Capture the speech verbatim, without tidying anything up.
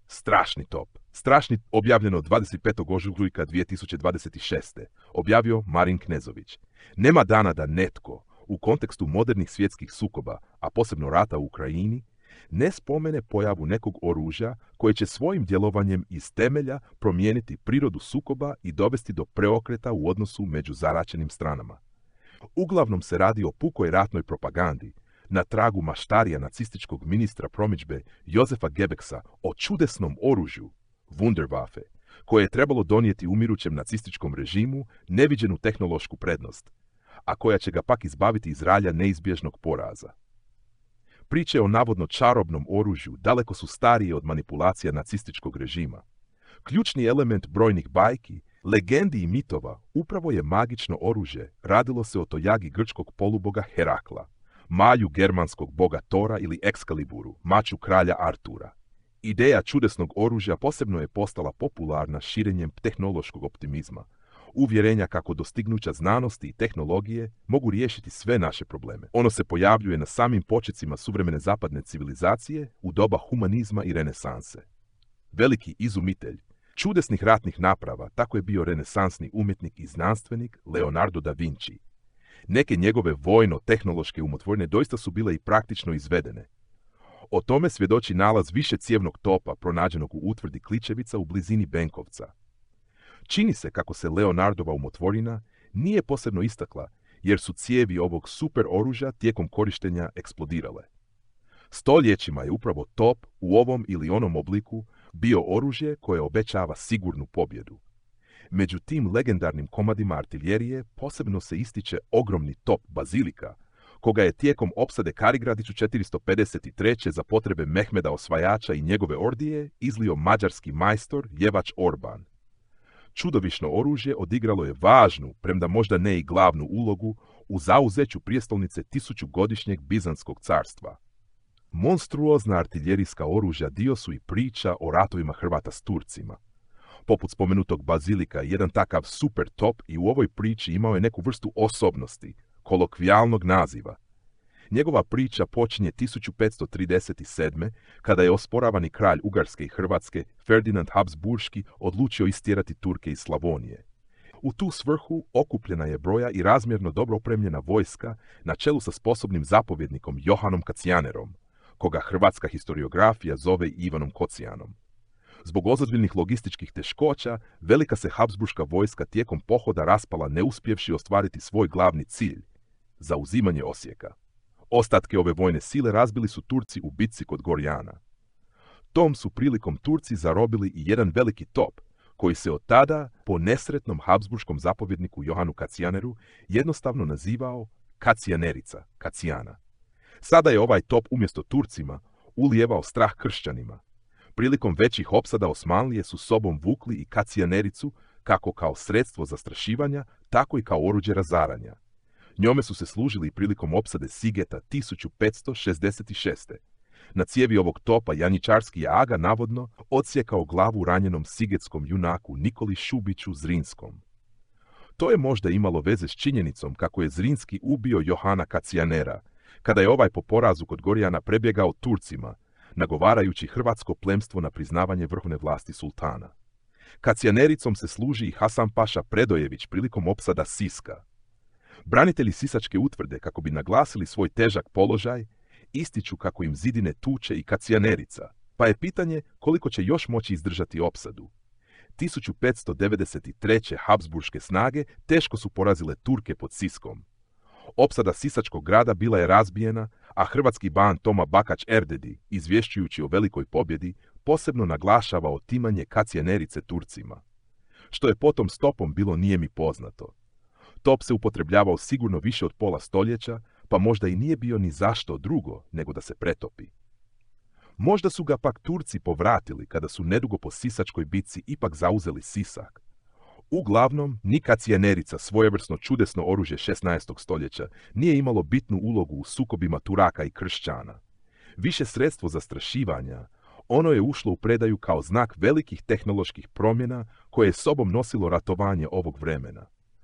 Strašni top. Strašni objavljeno dvadeset petog ožujka dvije tisuće dvadeset šeste. Objavio Marin Knezović. Nema dana da netko, u kontekstu modernih svjetskih sukoba, a posebno rata u Ukrajini, ne spomene pojavu nekog oružja koje će svojim djelovanjem iz temelja promijeniti prirodu sukoba i dovesti do preokreta u odnosu među zaraćenim stranama. Uglavnom se radi o pukoj ratnoj propagandi, na tragu maštarija nacističkog ministra promidžbe Jozefa Goebbelsa o čudesnom oružju, Wunderwaffe, koje je trebalo donijeti umirućem nacističkom režimu neviđenu tehnološku prednost, a koja će ga pak izbaviti iz ralja neizbježnog poraza. Priče o navodno čarobnom oružju daleko su starije od manipulacija nacističkog režima. Ključni element brojnih bajki, legendi i mitova upravo je magično oružje. Radilo se o tojagi grčkog poluboga Herakla, malju germanskog boga Tora ili Excaliburu, maču kralja Artura. Ideja čudesnog oružja posebno je postala popularna širenjem tehnološkog optimizma, uvjerenja kako dostignuća znanosti i tehnologije mogu riješiti sve naše probleme. Ono se pojavljuje na samim počecima suvremene zapadne civilizacije u doba humanizma i renesanse. Veliki izumitelj čudesnih ratnih naprava tako je bio renesansni umjetnik i znanstvenik Leonardo da Vinci. Neke njegove vojno-tehnološke umotvorine doista su bile i praktično izvedene. O tome svjedoči nalaz višecijevnog topa pronađenog u utvrdi Kličevica u blizini Benkovca. Čini se kako se Leonardova umotvorina nije posebno istakla, jer su cijevi ovog super oružja tijekom korištenja eksplodirale. Stoljećima je upravo top u ovom ili onom obliku bio oružje koje obećava sigurnu pobjedu. Među tim legendarnim komadima artiljerije posebno se ističe ogromni top Bazilika, koga je tijekom opsade Karigradiću četiristo pedeset treće za potrebe Mehmeda Osvajača i njegove ordije izlio mađarski majstor Jevač Orban. Čudovišno oružje odigralo je važnu, premda možda ne i glavnu ulogu, u zauzeću prijestolnice tisućugodišnjeg Bizanskog carstva. Monstruozna artiljerijska oružja dio su i priča o ratovima Hrvata s Turcima. Poput spomenutog Bazilika, jedan takav super top i u ovoj priči imao je neku vrstu osobnosti, kolokvijalnog naziva. Njegova priča počinje tisuću petsto trideset sedme. kada je osporavani kralj Ugarske i Hrvatske, Ferdinand Habsburški, odlučio istjerati Turke iz Slavonije. U tu svrhu okupljena je broja i razmjerno dobro opremljena vojska na čelu sa sposobnim zapovjednikom Johanom Kacijanerom, koga hrvatska historiografija zove Ivanom Kocijanom. Zbog ozbiljnih logističkih teškoća, velika se Habsburška vojska tijekom pohoda raspala neuspjevši ostvariti svoj glavni cilj, zauzimanje Osijeka. Ostatke ove vojne sile razbili su Turci u bitci kod Gorjana. Tom su prilikom Turci zarobili i jedan veliki top, koji se od tada, po nesretnom habsburškom zapovjedniku Johanu Kacijaneru, jednostavno nazivao Kacijanerica, Kacijana. Sada je ovaj top umjesto Turcima ulijevao strah kršćanima. Prilikom većih opsada Osmanlije su sobom vukli i Kacijanericu kako kao sredstvo zastrašivanja, tako i kao oruđe razaranja. Njome su se služili prilikom opsade Sigeta tisuću petsto šezdeset šeste. Na cijevi ovog topa janjičarski je aga navodno odsjekao glavu ranjenom sigetskom junaku Nikoli Šubiću Zrinskom. To je možda imalo veze s činjenicom kako je Zrinski ubio Johana Kacijanera, kada je ovaj po porazu kod Gorjana prebjegao Turcima, nagovarajući hrvatsko plemstvo na priznavanje vrhovne vlasti sultana. Kacijanericom se služi i Hasan Paša Predojević prilikom opsada Siska. Branitelji Sisačke utvrde, kako bi naglasili svoj težak položaj, ističu kako im zidine tuče i Kacijanerica, pa je pitanje koliko će još moći izdržati opsadu. tisuću petsto devedeset treće. Habsburške snage teško su porazile Turke pod Siskom. Opsada Sisačkog grada bila je razbijena, a hrvatski ban Toma Bakać Erdedi, izvješćujući o velikoj pobjedi, posebno naglašava otimanje Kacijanerice Turcima. Što je potom s topom bilo nije mi poznato. Top se upotrebljavao sigurno više od pola stoljeća, pa možda i nije bio ni zašto drugo nego da se pretopi. Možda su ga pak Turci povratili kada su nedugo po Sisačkoj bitci ipak zauzeli Sisak. Uglavnom, ni Kacijanerica, svojevrsno čudesno oružje šesnaestog stoljeća, nije imalo bitnu ulogu u sukobima Turaka i kršćana. Više sredstvo zastrašivanja, ono je ušlo u predaju kao znak velikih tehnoloških promjena koje je sobom nosilo ratovanje ovog vremena.